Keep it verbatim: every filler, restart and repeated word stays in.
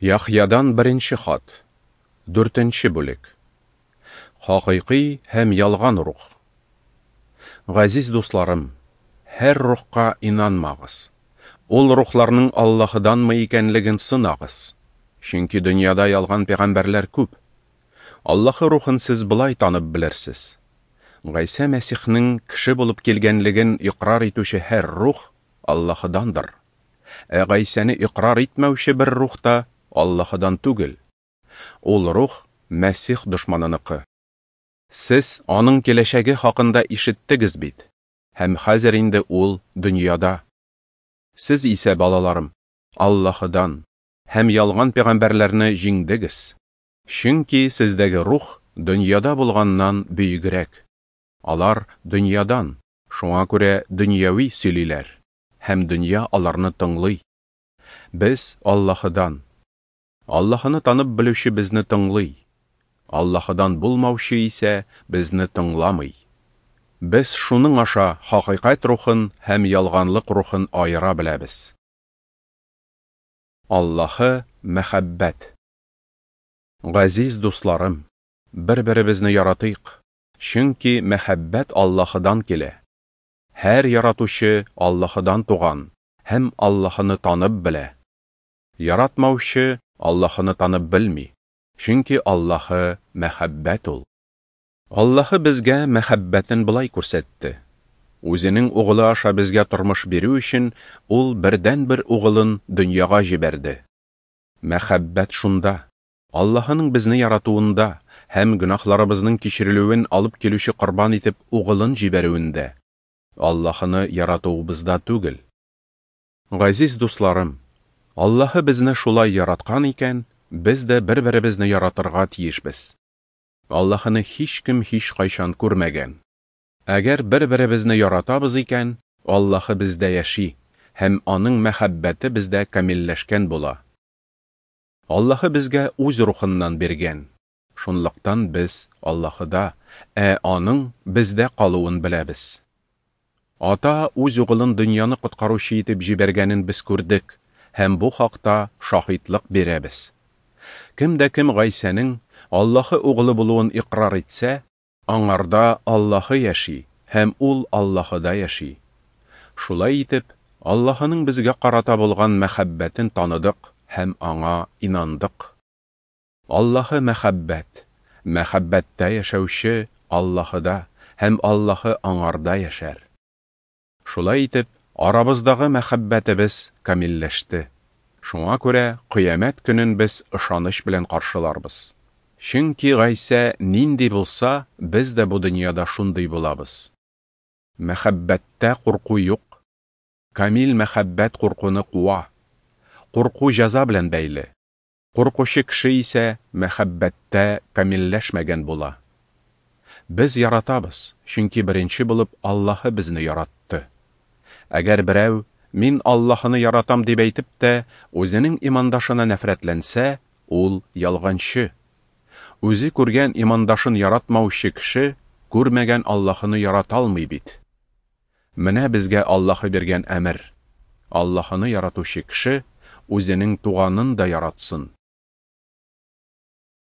Яхъядан беренче хат. Дүртенче бүлек. Хакыйкый һәм ялган рух. Газиз дусларым, һәр рухка инанмагыз. Ул рухларның Аллаһыданмы икәнлеген сынагыз. Чөнки дөньяда ялган пәйгамбәрләр күп. Аллаһы рухын сез болай танып белерсез. Гайсә Мәсихнең кеше булып килгәнлеген икърар итүче һәр рух Аллаһыдандыр. Ә Гайсәне икърар итмәүче бер рух та Аллаһыдан түгел. Ул рух Мәсих дошманыныкы. Сез аның киләчәге хакында ишеттегез бит, һәм хәзер инде ул дөньяда. Сез исә, балаларым, Аллаһыдан һәм ялган пәйгамбәрләрне җиңдегез. Чөнки сездәге рух дөньяда булганнан бөегрәк. Алар дөньядан, шуңа күрә дөньяви сөйлиләр, һәм дөнья аларны тыңлый. Без Аллаһыдан. Аллаһыны танып белүче безне тыңлый. Аллаһыдан булмаучы исә безне тыңламый. Без шуның аша хакыйкать рухын һәм ялганлык рухын аера беләбез. Аллаһы мәхәббәт. Газиз дусларым, бер-беребезне яратыйк, чөнки мәхәббәт Аллаһыдан килә. Һәр яратучы Аллаһыдан туган һәм Аллаһыны танып белә. Яратмаучы Аллаһыны танып белми, чөнки Аллаһы мәхәббәт ул. Аллаһы безгә мәхәббәтен болай күрсәтте. Үзенең угылы аша безгә тормыш бирү өчен ул бердәнбер угылын дөньяга җибәрде. Мәхәббәт шунда, Аллаһының безне яратуында һәм гөнаһларыбызның кичерелүен алып килүче корбан итеп угылын җибәрүендә, Аллаһыны яратуыбызда түгел. Газиз дусларым, Аллаһы безне шулай яраткан икән, без дә бер-беребезне яратырга тиешбез. Аллаһыны һичкем һичкайчан күрмәгән. Әгәр бер-беребезне яратабыз икән, Аллаһы бездә яши һәм аның мәхәббәте бездә камилләшкән була. Аллаһы безгә үз рухыннан биргән. Шунлыктан без Аллаһыда, ә аның бездә калуын беләбез. Ата үз угылын дөньяны коткаручы итеп җибәргәнен без күрдек һәм бу хакта шаһитлык бирәбез. Кем дә кем Гайсәнең Аллаһы угылы булуын икърар итсә, аңарда Аллаһы яши һәм ул Аллаһыда яши. Шулай итеп, Аллаһының безгә карата булган мәхәббәтен таныдык һәм аңа инандык. Аллаһы мәхәббәт, мәхәббәттә яшәүче Аллаһыда һәм Аллаһы аңарда яшәр. Шулай итеп, арабыздагы мәхәббәтебез камилләште. Шуңа күрә кыямәт көнен без ышаныч белән каршыларбыз. Чөнки Гайсә нинди булса, без дә бу дөньяда шундый булабыз. Мәхәббәттә курку юк. Камил мәхәббәт куркуны куа. Курку җәза белән бәйле. Куркучы кеше исә мәхәббәттә камилләшмәгән була. Без яратабыз, чөнки беренче булып Аллаһы безне яратты. Әгәр берәү мин Аллаһыны яратам дип әйтеп тә, үзенең имандашына нәфрәтләнсә, ул ялганчы. Үзе күргән имандашын яратмаучы кеше күрмәгән Аллаһыны ярата алмый бит. Менә безгә Аллаһы биргән әмер. Аллаһыны яратучы кеше үзенең туганын да яратсын.